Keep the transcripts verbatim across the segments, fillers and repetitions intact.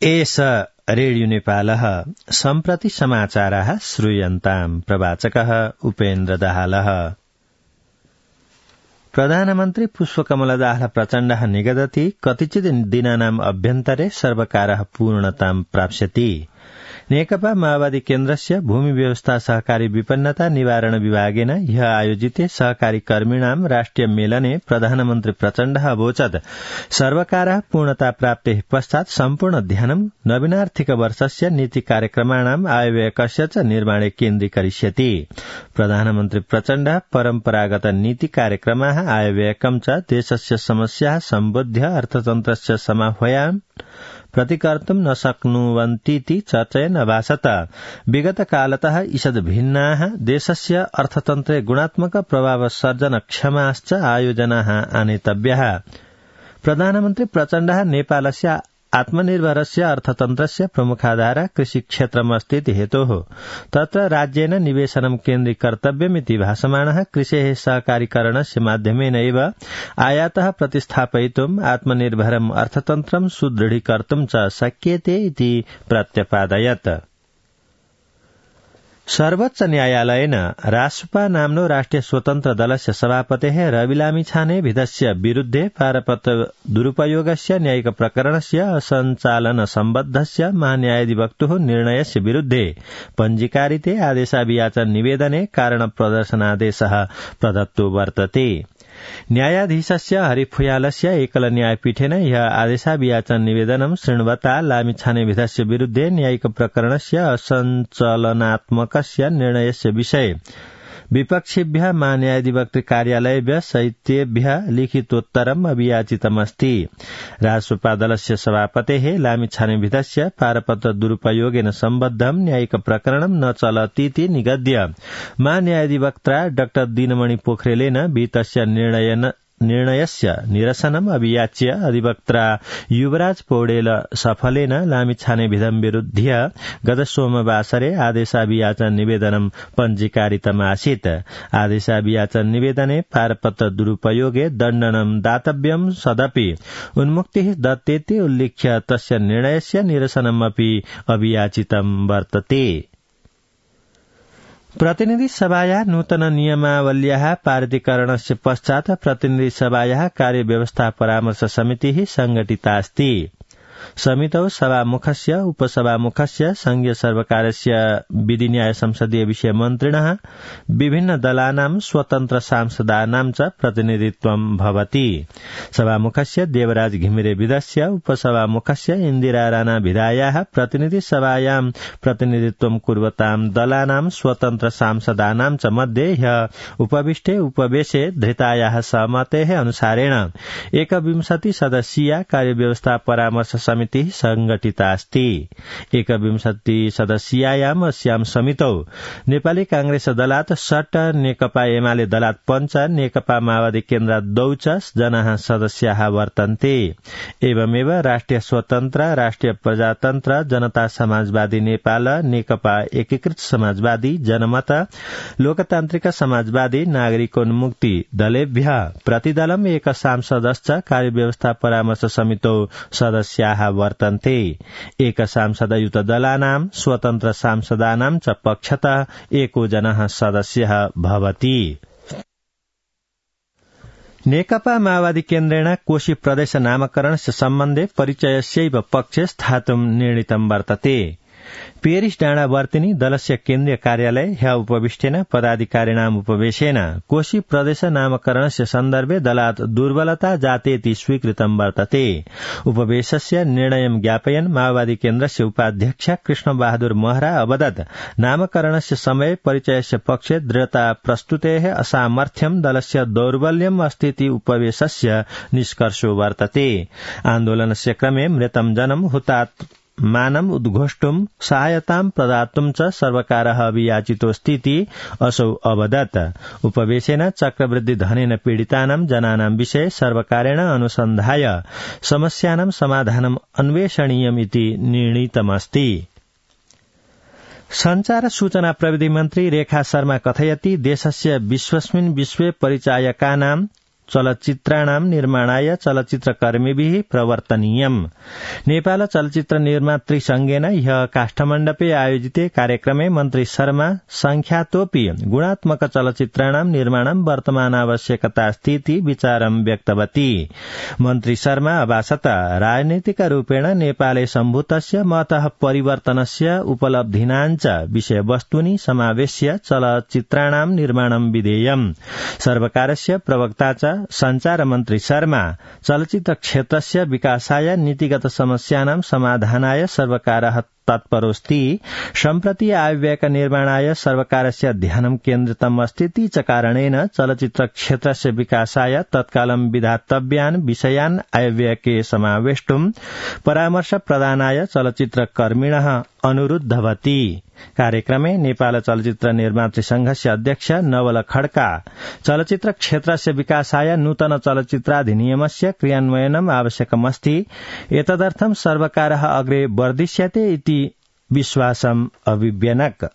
एष रेडियो नेपालः सम्प्रति समाचाराः श्रूयन्ताम्। प्रवाचकः उपेन्द्र दाहालः। प्रधानमन्त्री पुष्पकमलदास प्रचण्डः निगदति कतिचित् दिनानाम् अभ्यन्तरे सर्वकारः पूर्णतां प्राप्स्यति। नेकपा माओवादी केन्द्रस्य भूमि व्यवस्था सहकारी विपन्नता निवारण विभागेन ह्य आयोजिते सहकारी कर्मिणां राष्ट्रिय मेलने प्रधानमन्त्री प्रचण्डः अवोचत् सर्वकारः पूर्णता प्राप्तेः पश्चात् सम्पूर्ण ध्यानं नवीनार्थिक वर्षस्य नीति कार्यक्रमाणाम् आयव्ययकस्य च निर्माणे केन्द्रीकरिष्यति। प्रधानमन्त्री प्रचण्डः परम्परागत नीति कार्यक्रमाः आयव्ययकं च देशस्य समस्याः सम्बोध्य अर्थतन्त्रस्य समाह्वयान् प्रतिकर्तुं न शक्नुवन्तीति चर्चयन् अभाषत। विगत कालतः ईषद् भिन्नाः देशस्य अर्थतन्त्रे गुणात्मक प्रभाव सर्जन क्षमाश्च आयोजनाः आनेतव्याः। प्रधानमन्त्री प्रचण्डः नेपालस्य आत्मनिर्भरस्य अर्थतन्त्रस्य प्रमुखाधार कृषिक्षेत्रमस्तीति हेतोः तत्र राज्येन निवेशनं केन्द्रीकर्तव्यमिति भाषमाणः कृषेः सहकारीकरणस्य माध्यमेन एव आयातः प्रतिस्थापयितुम् आत्मनिर्भरम् अर्थतन्त्रं सुदृढीकर्तुं च शक्यते इति प्रत्यपादयत्। सर्वोच्च न्यायालयेन रासुपा नाम्नो राष्ट्रिय स्वतन्त्र दलस्य सभापतेः रवि लामिछानेविधस्य विरुद्धे पारपत्र दुरुपयोगस्य न्यायिक प्रकरणस्य असञ्चालन सम्बद्धस्य महान्यायाधिवक्तुः निर्णयस्य विरुद्धे पञ्जीकारिते आदेशाभियाचन निवेदने कारण प्रदर्शनादेशः प्रदत्तो वर्तते। न्यायाधीशस्य हरिफुयालस्य एकल न्यायपीठेन ह्य आदेशाभियाचन निवेदनं शृण्वता लामिछानेविधस्य विरुद्धे न्यायिक प्रकरणस्य असञ्चालनात्मकस्य निर्णयस्य विषये विपक्षिभ्यः महान्यायाधिवक्तृ कार्यालयेभ्यः सहितेभ्यः लिखितोत्तरम् अभियाचितमस्ति। रासुपा दलस्य सभापतेः लामिछानेविधस्य पारपत्र दुरुपयोगेन सम्बद्धं न्यायिक प्रकरणं न चलतीति निगद्य महान्यायाधिवक्त्रा डाक्टर दिनमणि पोखरेलेन वितस्य निर्णयन निर्णयस्य निरसनम् अभियाच्य अधिवक्त्रा युवराज पौडेल सफलेन लामिछानेविधं विरुध्य गत सोमवासरे आदेशाभियाचन निवेदनं पञ्जीकारितमासीत्। आदेशाभियाचन निवेदने पारपत्र दुरुपयोगे दण्डनं दातव्यं सदपि उन्मुक्तिः दत्तेति उल्लिख्य तस्य निर्णयस्य निरसनमपि अभियाचितं वर्तते। प्रतिनिधि सभायाः नूतन नियमावल्याः पारितीकरणस्य पश्चात् प्रतिनिधि सभायाः कार्यव्यवस्था परामर्श समितिः संघटितास्ति। समितौ सभामुखस्य उपसभामुखस्य संघीय सर्वकारस्य विधि न्याय संसदीय विषय मन्त्रिणः विभिन्न दलानां स्वतन्त्र सांसदानां च प्रतिनिधित्वं भवति। सभामुखस्य देवराज घिमिरे विधस्य उपसभामुखस्य इन्दिरा राणा विधायाः प्रतिनिधि सभायां प्रतिनिधित्वं कुर्वतां दलानां स्वतन्त्र सांसदानां च मध्ये ह्य उपविष्टे उपवेशे धृतायाः सहमतेः अनुसारेण एकविंशति सदस्यीया कार्यव्यवस्था परामर्श समिति संघटितास्ति। एकविंशति सदस्यीयायाम् अस्यां समितौ नेपाली कांग्रेस दलात् षट्, नेकपा एमाले दलात् पञ्च, नेकपा माओवादी केन्द्रात् द्वौ च जनाः सदस्याः वर्तन्ते। एवमेव राष्ट्रिय स्वतन्त्र, राष्ट्रिय प्रजातन्त्र, जनता समाजवादी नेपाल, नेकपा एकीकृत समाजवादी, जनमत, लोकतान्त्रिक समाजवादी, नागरिकोन्मुक्ति दलेभ्यः प्रतिदलम् एक सांसदश्च कार्यव्यवस्था परामर्श समितौ सदस्याः वर्तन्ते। एक सांसदयुत दलानां स्वतन्त्र सांसदानां च पक्षतः एको जनः सदस्यः भवति। नेकपा माओवादी केन्द्रेण कोशी प्रदेश नामकरणस्य सम्बन्धे परिचयस्यैव पक्षे स्थातुं निर्णीतं वर्तते। पेरिस डाँडा वर्तिनी दलस्य केन्द्रीय कार्यालय ह्य उपविष्टेन पदाधिकारिणाम् उपवेशेन कोशी प्रदेश नामकरणस्य सन्दर्भे दलात् दुर्बलता जातेति स्वीकृतं वर्तते। उपवेशस्य निर्णयं ज्ञापयन् माओवादी केन्द्रस्य उपाध्यक्ष कृष्ण बहादुर महरा अवदत् नामकरणस्य समये परिचयस्य पक्षे दृढता प्रस्तुतेः असामर्थ्यं दलस्य दौर्बल्यम् अस्तीति उपवेशस्य निष्कर्षो वर्तते। आन्दोलनस्य क्रमे मृतं जनं हुतात् मानम् उद्घोष्टुं सहायतां प्रदातुं च सर्वकारः अभियाचितोऽस्तीति असौ अवदत्। उपवेशेन चक्रवृद्धि धनेन पीडितानां जनानां विषये सर्वकारेण अनुसन्धाय समस्यानां समाधानम् अन्वेषणीयमिति निर्णीतमस्ति। संचार सूचना प्रविधि मन्त्री रेखा शर्मा कथयति देशस्य विश्वस्मिन् विश्वे परिचायकानां चलचित्राणां निर्माणाय चलचित्रकर्मिभिः प्रवर्तनीयम्। नेपाल चलचित्र निर्मातृ संघेन ह्यः काष्ठमण्डपे आयोजिते कार्यक्रमे मन्त्री शर्मा संख्यातोऽपि गुणात्मक चलचित्राणां निर्माणं वर्तमान आवश्यकता स्थिति विचारं व्यक्तवती। मन्त्री शर्मा अभासत राजनीतिक रूपेण नेपाले सम्भूतस्य मतः परिवर्तनस्य उपलब्धीनाञ्च विषयवस्तूनि समावेश्य चलचित्राणां निर्माणं विधेयम्। सर्वकारस्य प्रवक्ता च संचार मन्त्री शर्मा चलचित्र क्षेत्रस्य विकासाय नीतिगत समस्यानां समाधानाय सर्वकारः तत्परोऽस्ति। सम्प्रति आयव्ययका निर्माणाय सर्वकारस्य ध्यानं केन्द्रितम् अस्ति च कारणेन चलचित्र क्षेत्रस्य विकासाय तत्कालं विधातव्यान् विषयान् आयव्ययके समावेष्टुम् परामर्श प्रदानाय चलचित्रकर्मिणः अनुरुद्धवती। कार्यक्रमे नेपाल चलचित्र निर्मातृ संघस्य अध्यक्ष नवल खड्का चलचित्र क्षेत्रस्य विकासाय नूतन चलचित्राधिनियमस्य क्रियान्वयनम् आवश्यकमस्ति। एतदर्थं सर्वकारः अग्रे वर्धिष्यते इति विश्वासम् अभिव्यनक।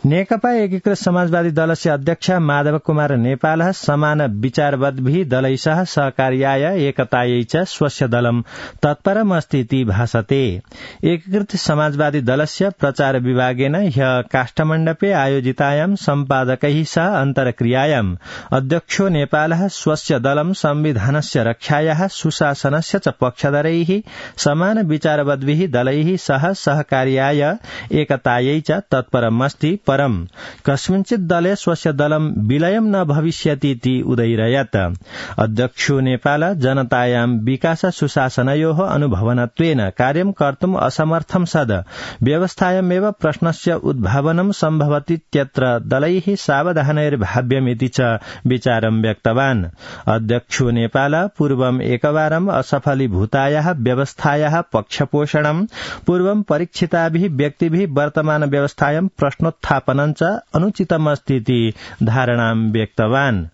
नेकपा एकीकृत समाजवादी दलस्य अध्यक्ष माधव कुमार नेपालः समान विचारवद्भिः दलैः सहकार्याय एकतायै च स्वस्य दलं तत्परमस्तीति भासते। एकीकृत समाजवादी दलस्य प्रचार विभागेन ह्यः काष्ठमण्डपे आयोजितायां सम्पादकैः सह अन्तर्क्रियायां अध्यक्षो नेपालः स्वस्य दलं संविधानस्य रक्षायाः सुशासनस्य च पक्षधरैः समान विचारवद्भिः दलैः सह सहकार्याय एकतायै च तत्परमस्ति। परं कस्मिंचित् दले स्वस्य दलं विलयं न भविष्यतीति उदैरयत्। अध्यक्षो नेपाल जनतायां विकास सुशासनयोः अनुभवनत्वेन कार्यं कर्तुम् असमर्थं सद् व्यवस्थायामेव प्रश्नस्य उद्भावनं सम्भवतीत्यत्र दलैः सावधानैर्भाव्यमिति च विचारं व्यक्तवान्। अध्यक्षो नेपाल पूर्वम् एकवारम् असफलीभूतायाः व्यवस्थायाः पक्षपोषणं पूर्वं परीक्षिताभिः व्यक्तिभिः वर्तमान व्यवस्थायां प्रश्नोत्थापनं च अनुचितमस्तीति धारणां व्यक्तवान्।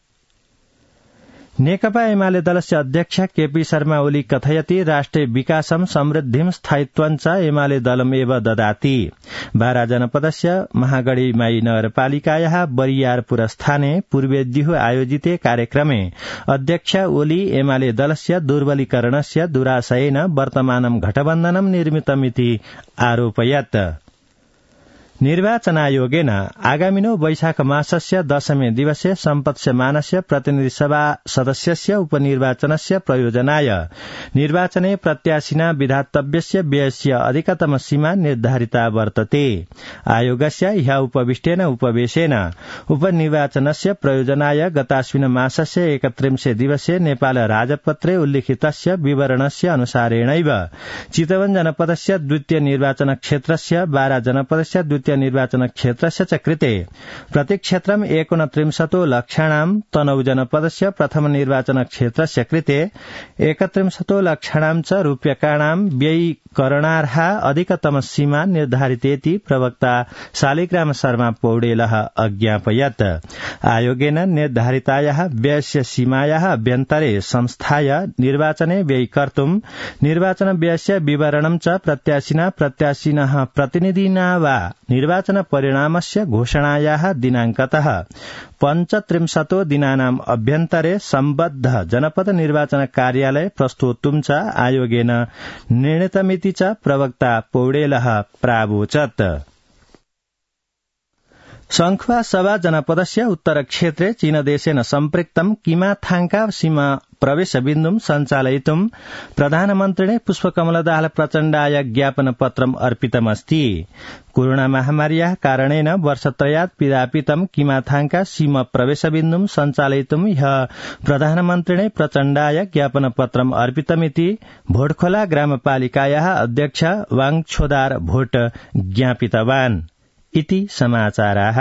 नेकपा एमाले दलस्य अध्यक्ष केपी शर्मा ओली कथयति राष्ट्रे विकासं समृद्धिं स्थायित्वं च एमाले दलमेव ददाति। बारा जनपदस्य महागढीमाई नगरपालिकायाः बरियारपुर स्थाने पूर्वेद्युः आयोजिते कार्यक्रमे अध्यक्ष ओली एमाले दलस्य दुर्बलीकरणस्य दुराशयेन वर्तमानं घटबन्धनं निर्मितमिति आरोपयत्। निर्वाचनायोगेन आगामिनो वैशाख मासस्य दशमे दिवसे सम्पत्स्यमानस्य प्रतिनिधि सभा सदस्यस्य उपनिर्वाचनस्य प्रयोजनाय निर्वाचने प्रत्याशिना विधातव्यस्य व्ययस्य अधिकतम सीमा निर्धारिता वर्तते। आयोगस्य ह्यः उपविष्टेन उपवेशेन उपनिर्वाचनस्य प्रयोजनाय गताश्विन मासस्य एकत्रिंशे दिवसे नेपाल राजपत्रे उल्लिखितस्य विवरणस्य अनुसारेणैव चितवन जनपदस्य द्वितीय निर्वाचन क्षेत्रस्य बारा जनपदस्य द्वितीय निर्वाचन क्षेत्रस्य च कृते प्रतिक्षेत्रम् एकोनत्रिंशतो लक्षाणां तनौ जनपदस्य प्रथम निर्वाचन क्षेत्रस्य कृते एकत्रिंशतो लक्षाणां च रूप्यकाणां व्ययीकरणार्हा अधिकतम सीमा निर्धारितेति प्रवक्ता शालिग्राम शर्मा पौडेलः अज्ञापयत्। आयोगेन निर्धारितायाः व्ययस्य सीमायाः अभ्यन्तरे संस्थाय निर्वाचने व्ययीकर्तुम् निर्वाचन व्ययस्य विवरणं च प्रत्याशिना प्रत्याशिनः प्रतिनिधिना वा निर्वाचन परिणामस्य घोषणायाः दिनांकतः पञ्चत्रिंशतो दिनानाम् अभ्यन्तरे सम्बद्ध जनपद निर्वाचन कार्यालय प्रस्तोतुं च आयोगेन निर्णीतमिति च प्रवक्ता पौडेलः प्रावोचत्। संख्वा सभा जनपदस्य उत्तरक्षेत्रे चीनदेशेन सम्पृक्तं किमाथाङका सीमा प्रवेशबिन्दुं सञ्चालयितुं प्रधानमन्त्रिणे पुष्पकमलदाहाल प्रचण्डाय ज्ञापनपत्रम् अर्पितमस्ति। कोरोना महामार्याः कारणेन वर्षत्रयात् पिधापितं किमाथाङका सीमा प्रवेशबिन्दुं सञ्चालयितुं ह्यः प्रधानमन्त्रिणे प्रचण्डाय ज्ञापनपत्रम् अर्पितमिति भोटखोला ग्रामपालिकायाः अध्यक्ष वाङछोदार भोट ज्ञापितवान् इति समाचाराः।